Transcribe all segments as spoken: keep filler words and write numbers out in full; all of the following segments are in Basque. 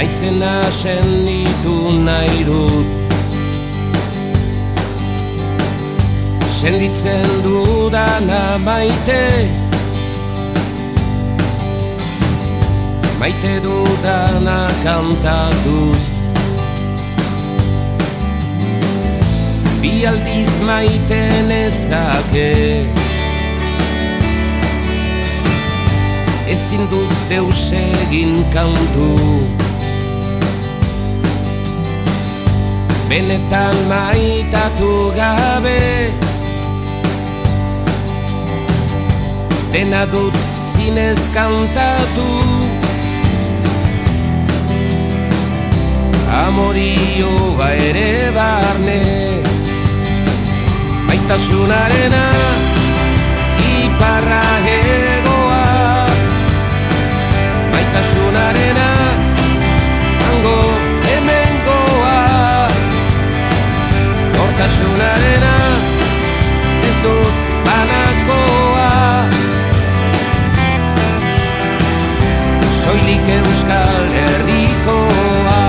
naizena senditu nahi dut. Senditzen dudana maite, maite dudana kantatuz. Bi aldiz maite nezake, ezin dut deus egin kantu. Benetan maitatu gabe, dena dut zinez kantatu. Amorioa ere barne, maitasunarena iparra hegoa, maitasunarena hango hemengoa, nortasunarena ez dut banakoa. Soilik Euskal Herrikoa.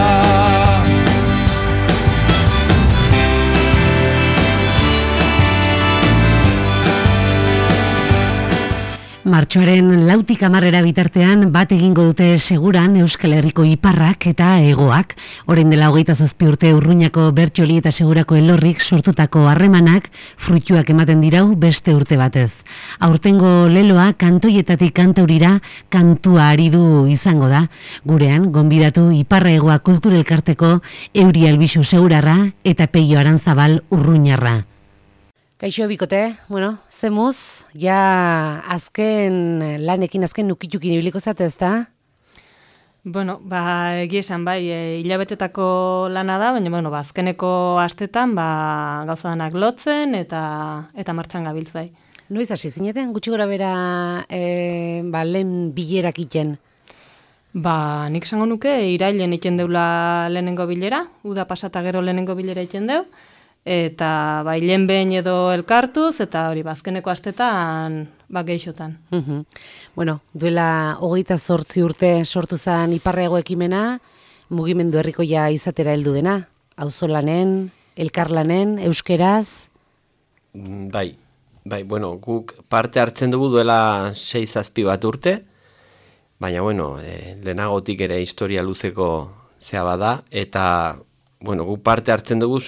Martxoaren lautik hamarrera bitartean bat egingo dute seguran Euskal Herriko iparrak eta hegoak. Orain dela hogeita zazpi urte Urruñako Bertxoli eta Segurako Elorrik sortutako harremanak fruituak ematen dirau beste urte batez. Aurtengo leloa kantoietatik kantaurira kantua ari du izango da. Gurean, gonbidatu Iparra Hegoa Kulturelkarteko Euri Albizu Segurarra eta Peio Arantzabal Urruñarra. Kaixo bikote, bueno, zemuz, ja azken lanekin, azken nukitukin ibiliko zate, ez da? Bueno, ba, egia esan bai, e, hilabetetako lana da, baina bueno, ba, azkeneko astetan ba, gauzanak lotzen eta eta martxan gabiltz bai. Noiz hasi zineten, gutxi gora bera e, ba, lehen bilerak iten? Ba, nik esango nuke, irailen iten deula lehenengo bilera, uda pasata gero lehenengo bilera iten deu, eta bai lehen behin edo elkartuz, eta hori bazkeneko astetan ba geixotan. Uh-huh. Bueno, duela hogeita zortzi urte sortu zen Iparra Hego ekimena, mugimendu herrikoia izatera heldu dena, auzolanen, elkarlanen, euskeraz? Bai, bai, bueno, guk parte hartzen dugu duela sei zazpi bat urte, baina, bueno, e, lehenagotik ere historia luzeko zea bada, eta, bueno, guk parte hartzen dugu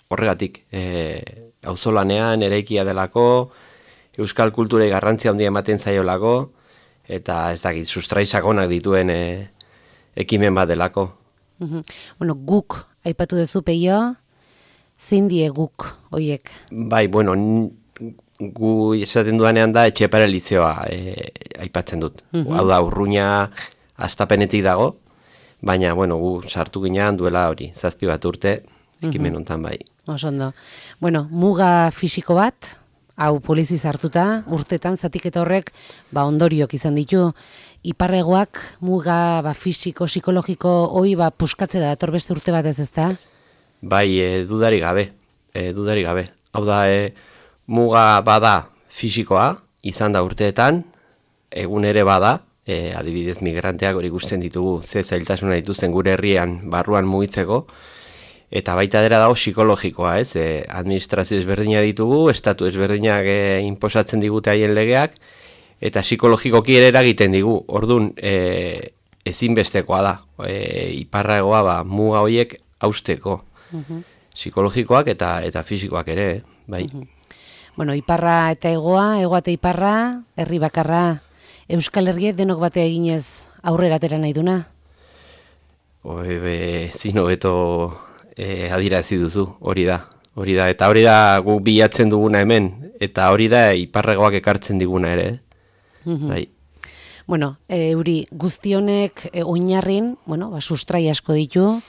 horregatik, e, auzolanean eraikia delako, euskal kulturei garrantzia handia ematen zaiolako, eta ez dakit, sustraisakonak dituen e, ekimen bat delako. Uh-huh. Bueno, guk, aipatu duzu Peio, zein die guk, hoiek? Bai, bueno, gu esaten dudanean da Etxepare Lizeoa e, aipatzen dut. Uh-huh. Hau da, Urruña astapenetik dago, baina, bueno, gu sartu ginean duela hori, zazpi bat urte, ekimen uh-huh. hontan bai. Osondo. Bueno, muga fisiko bat, hau poliziz hartuta, urtetan zatiketa horrek ba ondoriok izan ditu. Iparra Hegoak muga ba, fisiko, psikologiko hoi ba, puskatzera dator beste urte batez, ezta? Bai, e, dudari gabe, e, dudari gabe. Hau da, e, muga bada fisikoa, izan da urteetan, egun ere bada, e, adibidez migranteak hori ikusten ditugu, ze zailtasuna dituzten gure herrian barruan mugitzeko, eta baita dela dago psikologikoa, ez? E, administrazio ezberdina ditugu, estatu ezberdinak e, inposatzen digute haien legeak, eta psikologikoki ere eragiten digu. Ordun, e, ezinbestekoa da. E, Iparra Hegoa ba, muga horiek hausteko. Uh-huh. Psikologikoak eta eta fisikoak ere, bai. Uh-huh. Bueno, Iparra eta Hegoa, Hegoa eta Iparra, herri bakarra, Euskal Herria denok batea eginez aurrera atera nahi duna? Oi, be, zino beto E, adirazi duzu, hori da, hori da, eta hori da gu bilatzen duguna hemen, eta hori da Iparra Hegoak ekartzen diguna ere, mm-hmm. bai. Bueno, e, Euri, guztionek e, oinarrin, bueno, ba, sustrai asko ditu,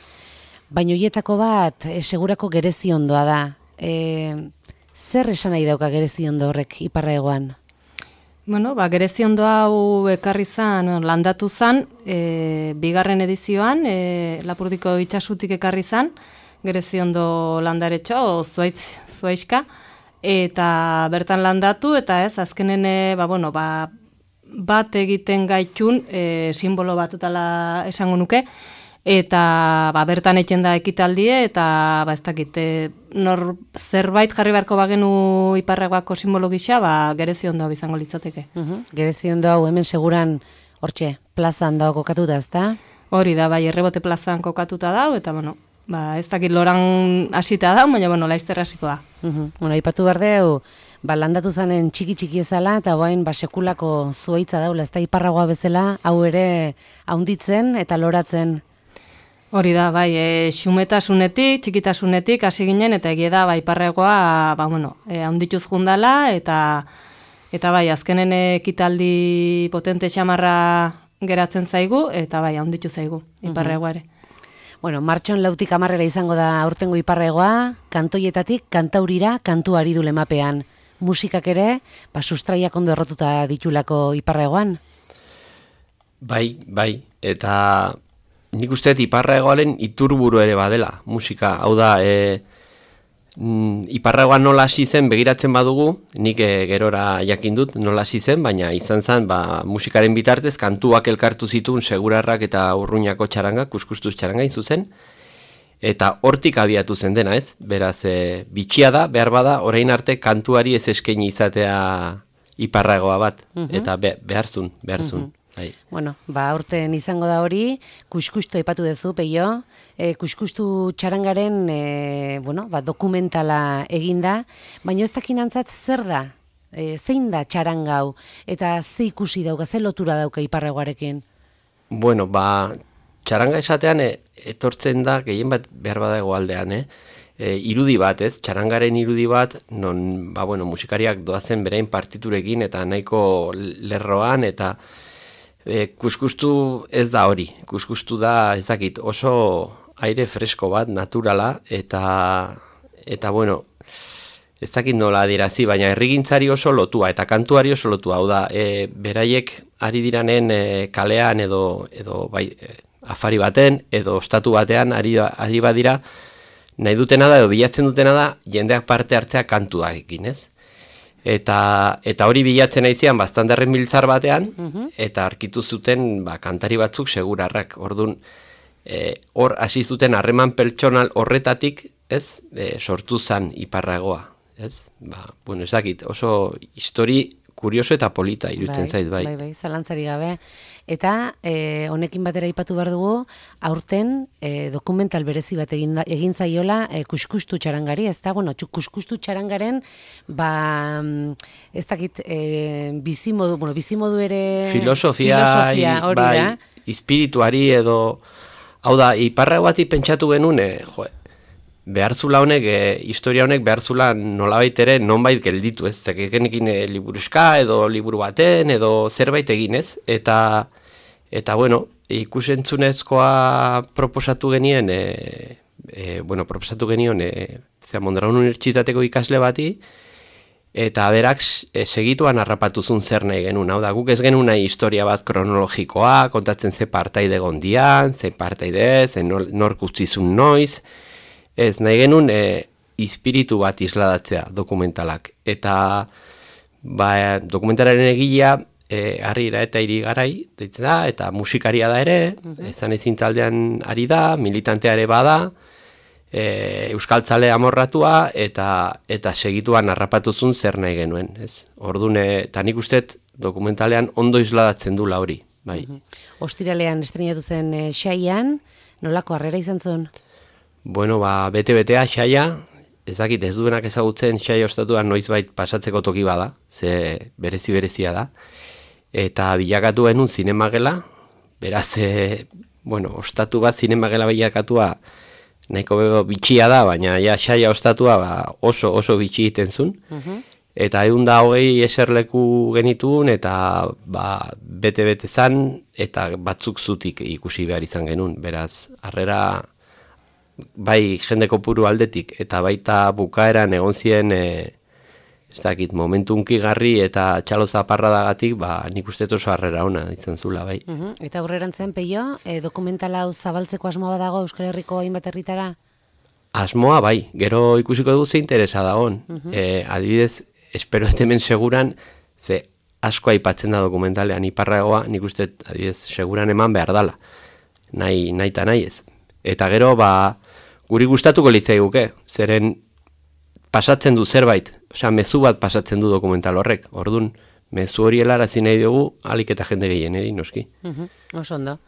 baina horietako bat e, segurako gereziondoa da. E, zer esan nahi dauka gereziondo horrek Iparra Hegoan? Bueno, ba, gereziondo hau ekarri zan, landatu zan, e, bigarren edizioan, e, Lapurdiko itxasutik ekarri zan, gereziondo landaretxo, zuaitz, zuaizka, eta bertan landatu, eta ez, azkenen, ba, bueno, ba, bat egiten gaitun, e, simbolo bat dela esango nuke, eta ba, bertan egiten da ekitaldie, eta ba, ez dakit, e, nor zerbait jarri beharko bagenu iparregoako simbolo gisa, ba, Gereziondo hau izango litzateke. Uh-huh. Gereziondo hau hemen seguran, hortxe, plazan dago kokatuta, ezta? Hori da, bai, Errebote plazan kokatuta dau, eta bueno, ba, ez dakit loran hasita da, baina bueno, laizter hasiko da. Uh-huh. Bueno, aipatu behar deu, ba, landatu zanen txiki-txiki ezala, eta bain, ba, sekulako zuaitza daula, ez da iparragoa bezala, hau ere haunditzen eta loratzen. Hori da, bai, e, xumetasunetik, txikitasunetik hasi ginen, eta egia da, bai, iparregoa, ba, bueno, e, haundituz jundala, eta, eta bai, azkenen ekitaldi potente xamarra geratzen zaigu, eta bai, haunditu zaigu, iparregoa ere. Bueno, martxon lautik amarrera izango da aurtengo iparregoa, kantoietatik kantaurira kantu ari du lemapean. Musikak ere, ba, sustraiak ondo errotuta ditulako iparregoan? Bai, bai, eta nik uste iparregoaren iturburu ere badela, musika. Hau da, e, mm, iparregoan nola hasi zen begiratzen badugu, nik e, gerora jakin dut nola hasi zen, baina izan zen, ba, musikaren bitartez, kantuak elkartu zituen Segurarrak eta Urruñako txaranga, kuskustuz txaranga zuzen, eta hortik abiatu zen dena, ez? Beraz, e, bitxia da, behar bada, orain arte kantuari ez eskaini izatea iparregoa bat, uh-huh. eta be, beharzun, beharzun. Uh-huh. Bai. Bueno, ba, aurten izango da hori, kuskustu aipatu duzu, Peio, e, kuskustu txarangaren e, bueno, ba, dokumentala eginda, baina ez dakinantzat zer da, e, zein da txarangau, eta ze ikusi dauka, ze lotura dauka iparregoarekin? Bueno, ba, txaranga esatean e, etortzen da, gehien bat behar badago aldean, eh? E, irudi bat, ez? Txarangaren irudi bat, non, ba, bueno, musikariak doazen berain partiturekin, eta nahiko lerroan, eta E, kuskustu ez da hori, kuskustu da ezakit oso aire fresko bat, naturala, eta, eta bueno, ezakit nola adirazi, baina herrigintzari oso lotua, eta kantuari oso lotua, hau da, e, beraiek ari diranen e, kalean edo, edo bai, e, afari baten, edo ostatu batean ari, ari badira, nahi dutena da, edo bilatzen dutena da, jendeak parte hartzea kantuarekin, ez? Eta, eta hori bilatzen aizian bastandarren biltzar batean, uh-huh. eta arkitu zuten ba, kantari batzuk Segurarrak. Orduan, e, hor hasi zuten harreman pertsonal horretatik, ez, e, sortu zan iparragoa. Ez? Ba, bueno, ez dakit, oso histori kurioso eta polita irutzen bai, zait, bai. Bai, bai, zalantzari gabe. Eta e, honekin batera aipatu behar dugu, aurten e, dokumental berezi bat egin, egin zaiola e, kuskustu txarangari, ez da? Bueno, kuskustu txarangaren, ba, ez dakit, e, bizimodu, bueno, bizimodu ere... Filosofia, filosofia hori bai, da. espirituari edo... Hau da, iparragoatik pentsatu genuen, e, jo, beharzula honek, e, historia honek beharzula nolabait ere nonbait gelditu, ez? Zekenekin e, liburuska edo liburu baten edo zerbait egin, ez? Eta, eta bueno, ikusentzunezkoa proposatu genien, e, e, bueno, proposatu genion, e, zera, Mondragon Unibertsitateko ikasle bati, eta berak e, segituan harrapatuzun zer nahi genuen. Hau da, guk ez genuen nahi historia bat kronologikoa, kontatzen ze partaide gondian, ze partaide, ze nork utzizun noiz, ez, nahi genuen e, espiritu bat isladatzea dokumentalak. Eta ba, dokumentalaren egilea e, Harrira eta Irigarai deitzen da, eta musikaria da ere, uh-huh. ezan ezin taldean ari da, militantea ere bada, e, euskaltzale amorratua, eta, eta segituan harrapatuzun zer nahi genuen. Ez? Orduan, eta nik usteet dokumentalean ondo isladatzen dula hori. Bai. Uh-huh. Ostiralean estrenatu zen e, xaian, nolako harrera izan zuen? Bueno, ba, bete-betea, xaia, ez dakit ez duenak ezagutzen xai ostatuan noizbait pasatzeko toki bada, ze berezi-berezia da, eta bilakatu genuen zinemagela, beraz, e, bueno, ostatu bat zinemagela bilakatua nahiko bego bitxia da, baina ja xaia ostatua ba, oso oso bitxi egiten zuen, uh-huh. eta egun da hogei eserleku genituen, eta ba, bete-bete zan, eta batzuk zutik ikusi behar izan genuen, beraz, harrera... bai jende kopuru aldetik, eta baita bukaeran egon ziren, e, ez dakit, momentu unkigarri eta txalo zaparradagatik, ba, nik uste oso harrera ona izan zula, bai. Uh-huh. Eta aurrerantzean, Peio, e, dokumentala hau zabaltzeko asmoa badago Euskal Herriko hainbat herritara? Asmoa, bai, gero ikusiko du ze interesa dagoen. Uh-huh. e, adibidez, espero hemen seguran, ze asko aipatzen da dokumentalean iparragoa, nik uste, adibidez, seguran eman behar dala. nahi, nahi eta nahi ez. Eta gero, ba, guri gustatuko litzaiguke, zeren pasatzen du zerbait, osea, mezu bat pasatzen du dokumental horrek, ordun mezu hori helarazi nahi dugu, alik eta jende gehieneri, noski. Uh-huh. Oso ondo.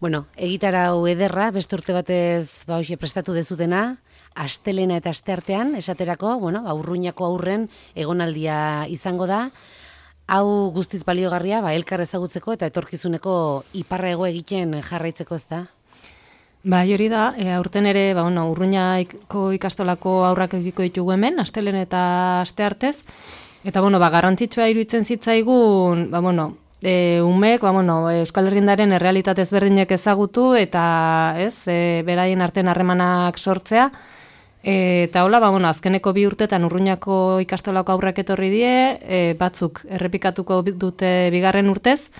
Bueno, egitarau ederra, beste urte batez ba, hoxe, prestatu dezutena, astelena eta asteartean, esaterako, bueno, Urruñako aurren egonaldia izango da, hau guztiz baliogarria, ba, elkar ezagutzeko eta etorkizuneko iparra-hego egiten jarraitzeko, ez da? Ba, hori da, e, aurten ere, ba, bueno, Urruñako ikastolako aurrak egiko ditugu hemen, astelen eta asteartez, eta, bueno, ba, garrantzitsua iruditzen zitzaigun, ba, bueno, e, umek, ba, bueno, Euskal Herriendaren errealitate ezberdinek ezagutu, eta, ez, e, beraien artean harremanak sortzea, e, eta hola, ba, bueno, azkeneko bi urtetan Urruñako ikastolako aurrak etorri die, e, batzuk errepikatuko dute bigarren urtez,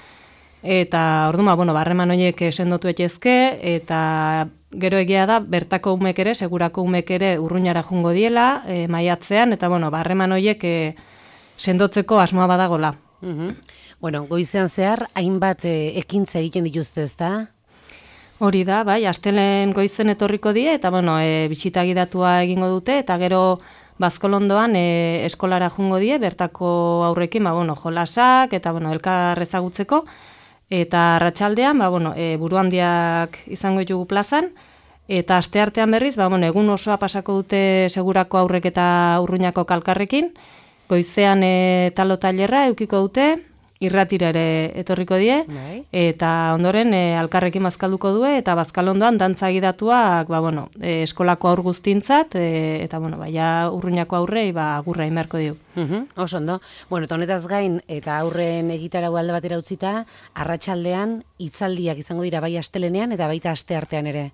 eta orduan, ba, bueno, harreman horiek sendotu etxezke, eta gero egia da, bertako umek ere, segurako umek ere Urruñara jungo diela, e, maiatzean, eta, bueno, harreman horiek e, sendotzeko asmoa badagola. Uh-huh. Bueno, goizean zehar, hainbat e, ekintza egiten dituzte, ez da? Hori da, bai, astelen goizen etorriko die, eta, bueno, e, bisita gidatua egingo dute, eta gero Bazkolondoan e, eskolara jungo die, bertako aurrekin, ba, bueno, jolasak, eta, bueno, elkar ezagutzeko, eta arratsaldean, ba, bueno, e, buruhandiak izango ditugu plazan, eta asteartean berriz, ba, bueno, egun osoa pasako dute segurako aurrek eta Urruñako kalkarrekin, goizean e, talo tailerra eukiko dute, irratira ere etorriko die, Nei. Eta ondoren e, alkarrekin bazkalduko due, eta Bazkalondoan dantza gidatuak, ba, bueno, e, eskolako aur guztintzat, e, eta, bueno, ba, ja Urruñako aurrei, ba, agurra inberko dio. Uh-huh, oso ondo. Bueno, eta honetaz gain, eta aurren egitarau alde batera utzita, arratsaldean hitzaldiak izango dira bai astelenean, eta baita asteartean ere.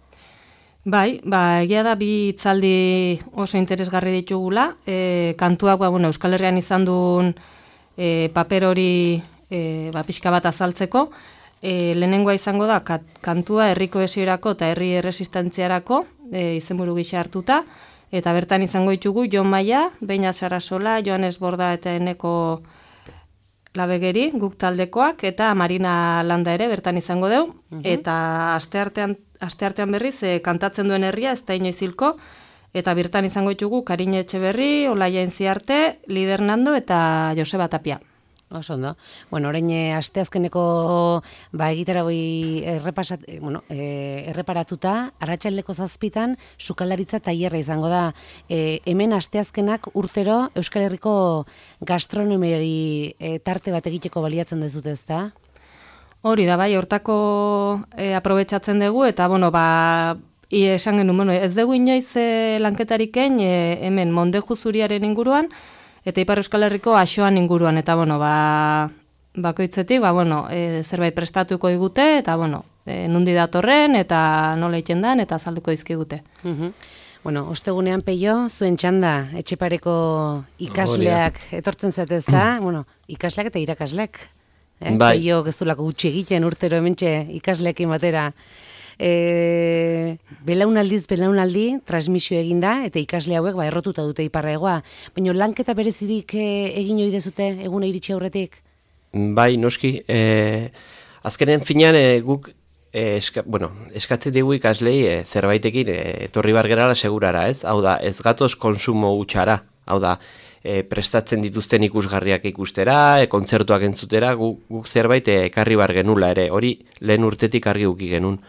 Bai, ba, egia da bi hitzaldi oso interesgarri ditugula, e, kantuak, ba, bueno, Euskal Herrian izan duen e, paper hori E, ba, pixka bat azaltzeko, e, lehenengoa izango da kat, kantua herri kohesiorako eta herri erresistentziarako e, izenburu gisa hartuta, eta bertan izango ditugu Jon Maia, Beñat Sarasola, Joanes Borda eta Eneko Labegeri, guk taldekoak, eta Marina Landa ere bertan izango deu, uh-huh. Eta asteartean, asteartean berriz e, kantatzen duen herria ez da inoiz hilko, eta bertan izango ditugu Karine Etxeberri, Olaia Entziarte, Lider Nando eta Joseba Tapia. Oso ondo. Bueno, orain asteazkeneko ba egitaragoi errepasat, bueno, e, erreparatuta, arratsaldeko zazpitan sukaldaritza tailerra izango da. E, hemen asteazkenak urtero Euskal Herriko gastronomiari e, tarte bat egiteko baliatzen dezute, ezta? Hori da, bai, hortako e, aprobetxatzen dugu, eta, bueno, ba, I, esan genuen, bueno, ez dugu inoiz e, lanketariken e, hemen Mondeju zuriaren inguruan, eta Ipar Euskal Herriko Axoan inguruan, eta, bueno, ba, bakoitzetik, ba, bueno, e, zerbait prestatuko digute, eta, bueno, e, nundi datorren, eta nola iten dan, eta azalduko dizkigute. Uh-huh. Bueno, ostegunean Peio, zuen txanda, Etxepareko ikasleak oh, etortzen zatez da, bueno, ikasleak eta irakasleak. Eh? Bai. Peio gezulako gutxi egiten urtero hementxe ikasleekin batera. E, belaunaldiz belaunaldi transmisio eginda eta ikasle hauek ba errotuta dute iparraegoa. Baina lanketa berezirik e, egin ohi dezute eguna iritsi aurretik? Bai, noski. E, azkenen finean e, guk e, eska, bueno, eskatzen digu ikaslei e, zerbaitekin e, etorri bar gerala segurara, ez? Hau da, ez gatoz konsumo hutsara. Hau da, e, prestatzen dituzten ikusgarriak ikustera, e, kontzertuak entzutera, guk, guk zerbait e, ekarri bar genula ere. Hori lehen urtetik argi uki genuen.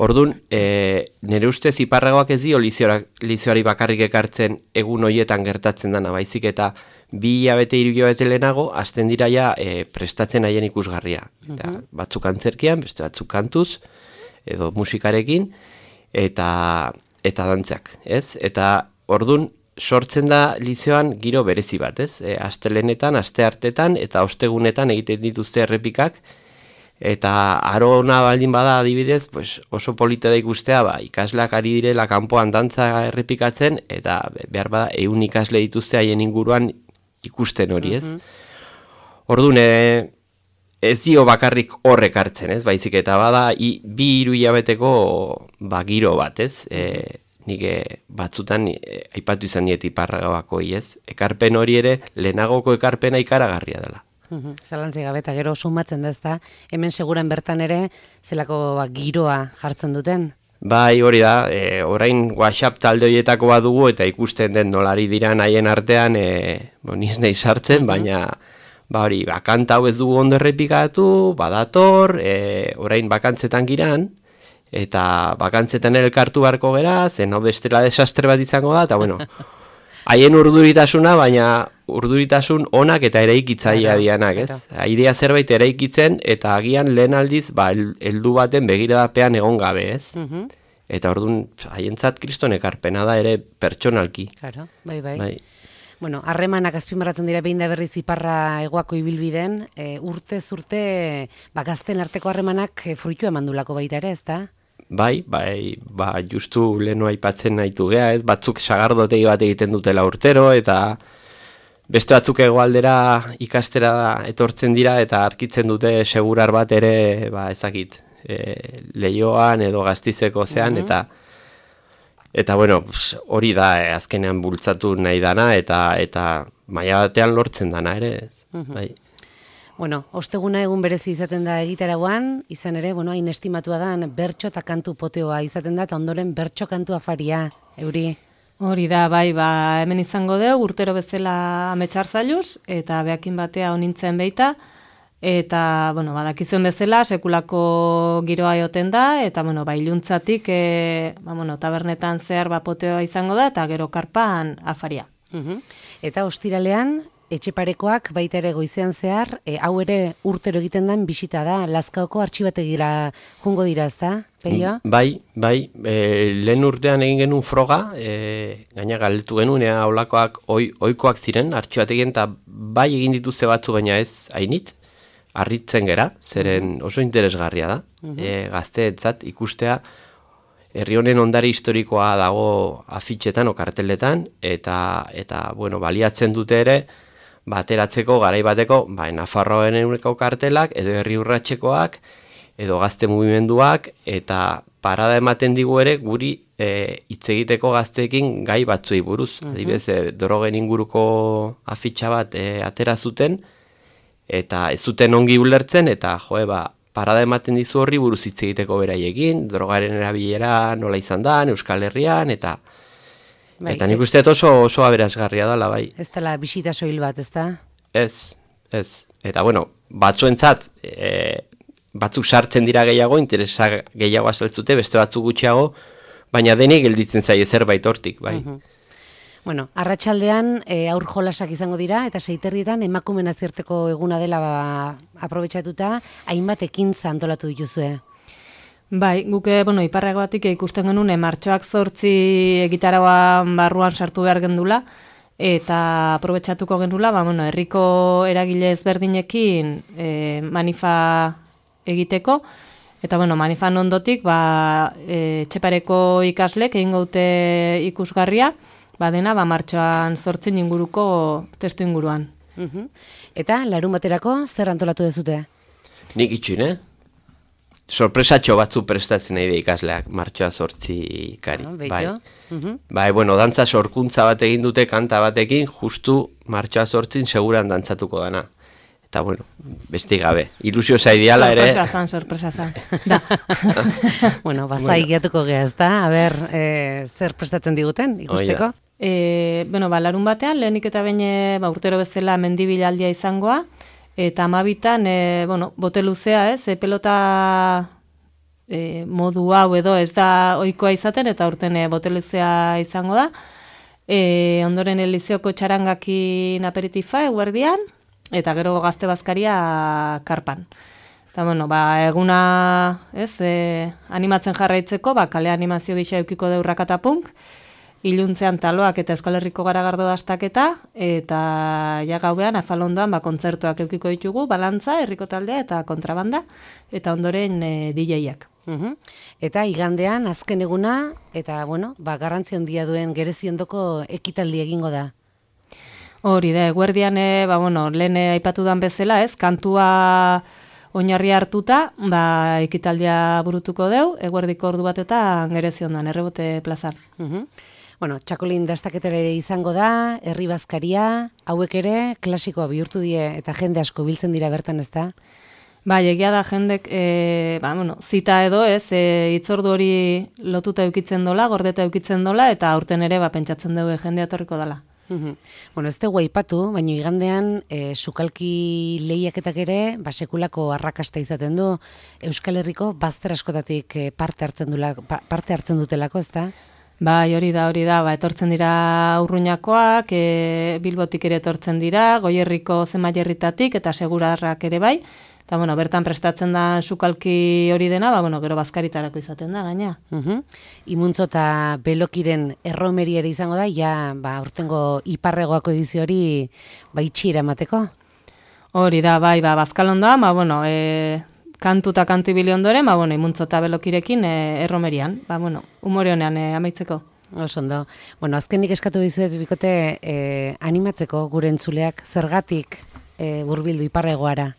Orduan, e, nire ustez iparragoak ez dio lizioari bakarrik ekartzen egun hoietan gertatzen dana, baizik eta bi hilabete, hiru hilabete lehenago, hasten dira ja e, prestatzen haien ikusgarria. Eta uh-huh. batzuk antzerkian, beste batzuk kantuz, edo musikarekin, eta eta dantzak, ez? Eta orduan, sortzen da lizioan giro berezi bat, ez? E, astelenetan, asteartetan, eta ostegunetan egiten dituzte errepikak, eta aro ona baldin bada adibidez, pues oso polita da ikustea, ba, ikasleak ari direla kanpoan dantza errepikatzen, eta behar bada ehun ikasle dituzte haien inguruan ikusten hori, ez? Uh-huh. Orduan, e, ez dio bakarrik horrek hartzen, ez? Baizik eta bada, i, bi hiru hilabeteko ba, giro bat, ez? E, nik batzutan e, aipatu izan diet iparragabakoi, ez? Ekarpen hori ere, lehenagoko ekarpena ikaragarria dela. Mhm, Zalantzik gabe eta gero sumatzen da, ezta? Hemen seguran bertan ere zelako ba, giroa jartzen duten. Bai, hori da, e, orain WhatsApp talde horietako bat dugu eta ikusten den nolari dira haien artean, e, bo, niz nahi sartzen, baina ba hori, ba, kanta hau ez dugu ondo errepikatu, badator, e, orain bakantzetan giran, eta bakantzetan elkartu barko gera, zen hau bestela desastre bat izango da, eta bueno, haien urduritasuna, baina urduritasun onak eta eraikitzailea dianak, ez? Idea zerbait eraikitzen, eta agian lehen aldiz, ba, heldu baten begiradapean egon gabe, ez? Eta orduan, haientzat kriston ekarpena da ere pertsonalki. Claro, bai, bai. bai. Bueno, harremanak azpimarratzen dira behin da berriz iparra hegoako ibilbiden, e, urtez urte, ba, gazten arteko harremanak e, fruitu emandulako baita ere, ez da? Bai, bai, ba, justu lehenu aipatzen nahitu gea, ez? Batzuk sagardotegi bat egiten dutela urtero, eta beste batzuk hegoaldera ikastera etortzen dira, eta arkitzen dute segurar bat ere, ba, ezakit, e, Leioan edo Gaztizeko zean, eta Eta, bueno, hori da, eh, azkenean bultzatu nahi dana, eta eta maila batean lortzen dana ere. Uh-huh. Bai. Bueno, osteguna egun berezi izaten da egitaragoan, izan ere, bueno, hain estimatua da, bertso eta kantu poteoa izaten da, eta ondoren bertso kantu afaria, Euri. Hori da, bai, ba, hemen izango deu, urtero bezala ametxar zailuz, eta behakin batea honintzen beita, eta, bueno, badakizuen bezala, sekulako giroa egoten da, eta, bueno, ba, iluntzatik, e, ba, bueno, tabernetan zehar bapoteoa izango da, eta gero karpan afaria. Uh-huh. Eta ostiralean, Etxeparekoak baita ere goizean zehar, e, hau ere urtero egiten den bisita da, Lazkaoko artxibategira jungo dira, ez da, Peio? Bai, bai, e, lehen urtean egin genuen froga, e, gaina galdetu genuen, ea olakoak oi, oikoak ziren, artxibategien, eta bai egin dituzte batzu, baina ez hainit, harritzen gera, zeren oso interesgarria da, uh-huh. e, gazteetzat ikustea, herri honen ondare historikoa dago afitxetan o karteletan, eta, eta bueno, baliatzen dute ere, bateratzeko garai bateko, ba, Nafarroaren eureko kartelak, edo herri urratxekoak, edo gazte mugimenduak, eta parada ematen digu ere, guri e, hitz egiteko gazteekin gai batzuei buruz. Uh-huh. Adibidez, e, drogen inguruko afitxa bat e, atera zuten, eta ez zuten ongi ulertzen, eta joe, ba, parada ematen dizu horri buruz hitz egiteko beraiekin, drogaren erabilera nola izan da, Euskal Herrian, eta bai, eta nik uste oso, oso aberasgarria dela, bai. Ez dela bisita soil bat, ez da? Ez, ez. Eta, bueno, batzuentzat, e, batzuk sartzen dira gehiago, interesa gehiago azaltzute, beste batzuk gutxiago, baina denik gelditzen zaie zerbait hortik, bai. Uh-huh. Bueno, arratsaldean e, aur jolasak izango dira, eta seiterrietan emakumen nazioarteko eguna dela ba, aprobetxatuta, hainbat ekintza antolatu dituzue. Bai, guke, bueno, iparregoatik ikusten genuen, martxoak zortzi egitaragoa barruan sartu behar gendula, eta aprobetxatuko genula, ba, bueno, herriko eragile ezberdinekin e, manifa egiteko, eta, bueno, manifan ondotik, ba, e, Etxepareko ikaslek egin gaute ikusgarria, badena, ba, martxoan zortzen inguruko testu inguruan. Uh-huh. Eta, larun baterako, zer antolatu dezute? Nik itxin, eh? Sorpresatxo batzu prestatzen nahi da ikasleak, martxoa zortzi kari. Ah, bai. Uh-huh. Bai, bueno, dantza sorkuntza bat egin dute kanta batekin, justu martxoa zortzin seguran dantzatuko dana. Eta, bueno, besti gabe. Ilusio zaidiala ere... Sorpresa zan, sorpresa zan. Da. Bueno, bazai gehiatuko geha, ez da? A ber, e, zer prestatzen diguten, ikusteko? E, bueno, ba, larun batean, lehenik eta baina ba, urtero bezala mendibilaldia izangoa, eta amabitan, e, bueno, bote luzea, ez? E, pelota e, modu hau edo ez da ohikoa izaten, eta urten e, bote luzea izango da. E, ondoren Elizioko txarangakin aperitifa, eguerdian, eta gero gazte bazkaria karpan. Eta, bueno, ba, eguna, ez, e, animatzen jarraitzeko, ba, kale animazio gisa eukiko deurrakata punk, iluntzean taloak eta Euskal Herriko garagardo dastaketa, eta ja gauean, afalondoan, ba, kontzertuak eukiko ditugu, balantza, herriko taldea eta kontrabanda, eta ondoren e, D J-ak. Uhum. Eta igandean, azken eguna, eta, bueno, ba, garrantzi handia duen gereziondoko ekitaldi egingo da. Hori da, eguerdian, e, ba, bueno, lehen aipatu dan bezala, ez, kantua oinarri hartuta, ba, ekitaldia burutuko deu, eguerdiko ordu batetan gereziondan, errebote plazan. Uh-huh. Bueno, txakolin dastaketara ere izango da, herri bazkaria, hauek ere klasikoa bihurtu die eta jende asko biltzen dira bertan, ez da? Bai, egia da jendek, e, ba, bueno, zita edo ez, e, itzordu hori lotuta eukitzen dola, gordeta eukitzen dola, eta aurten ere ba, pentsatzen dugu jendea etorriko dela. Uhum. Bueno, ez dugu aipatu, baina igandean e, sukalki lehiaketak ere ba, sekulako arrakasta izaten du. Euskal Herriko bazter askotatik e, parte hartzen dula, pa, parte hartzen dutelako, ez da? Bai, hori da, hori da, ba, etortzen dira Urruñakoak, e, Bilbotik ere etortzen dira, Goierriko Zemaierritatik eta Segurarrak ere bai. Eta, bueno, bertan prestatzen da sukalki hori dena, ba, bueno, gero bazkaritarako izaten da, gaina. Uhum. Imuntzo eta Belokiren erromeri ere izango da, ja, ba, urtengo iparregoako edizio hori ba, itxiera mateko? Hori da, bai, ba, bazkalondoa, ba, bueno, e, kantu eta kantu ibili ondoren, ba, bueno, Imuntzo eta Belokirekin e, erromerian, ba, bueno, umore honean e, amaitzeko. Oso ondo. Bueno, azkenik eskatu dizuet bikote e, animatzeko gure entzuleak zergatik e, hurbildu iparregoara.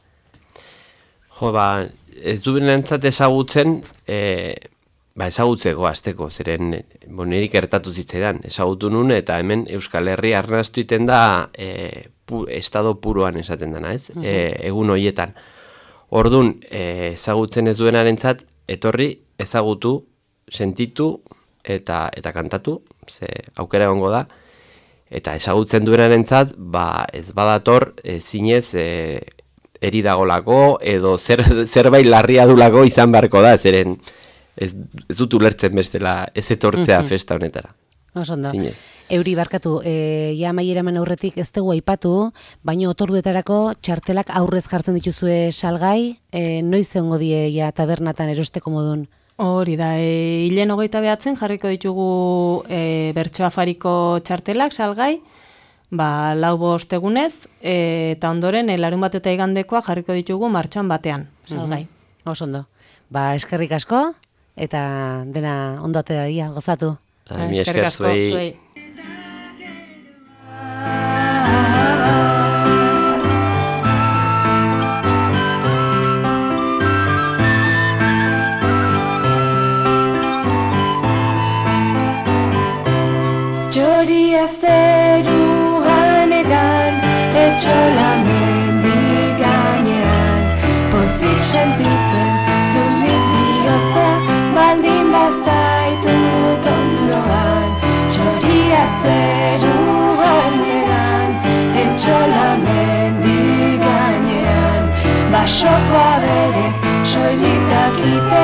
Jo, ba, ez duen entzat ezagutzen, e, ba, ezagutzeko azteko, zeren, bo, niri gertatu zitzaidan, ezagutu nun, eta hemen Euskal Herri arnaztu iten da, e, pu, estado puruan esaten dana, ez? Uh-huh. E, egun hoietan. Ordun, e, ezagutzen ez duenarentzat, etorri, ezagutu, sentitu, eta, eta kantatu, ze aukera egongo da, eta ezagutzen duenarentzat, ba, ez badator, e, zinez, e, eri dagolako, edo zer, zerbait larria dulako izan beharko da, zeren ez, ez dut ulertzen bestela ez etortzea mm-hmm. festa honetara. Osondo. Euri barkatu, e, ja maieramen aurretik ez dugu aipatu, baina otorduetarako txartelak aurrez jartzen dituzue salgai, e, noiz egongo die ja tabernatan erosteko modun? Hori da, e, hilen hogeita behatzen jarriko ditugu e, bertso afariko txartelak salgai, ba, lau bost egunez, e, eta ondoren, e, larun bat eta igandekoa jarriko ditugu martxoan batean, salgai. Mm-hmm. Oso ondo. Ba, eskerrik asko, eta dena ondo atea dia, gozatu. Ai, mi esker zuei. Txoria zeruan egan, etxola mendi gainean, pozik sentitzen dut nik bihotza, baldin bazaitut ondoan. Txoria zeruan egan, etxola mendi gainean, basoko aberek soilik dakite,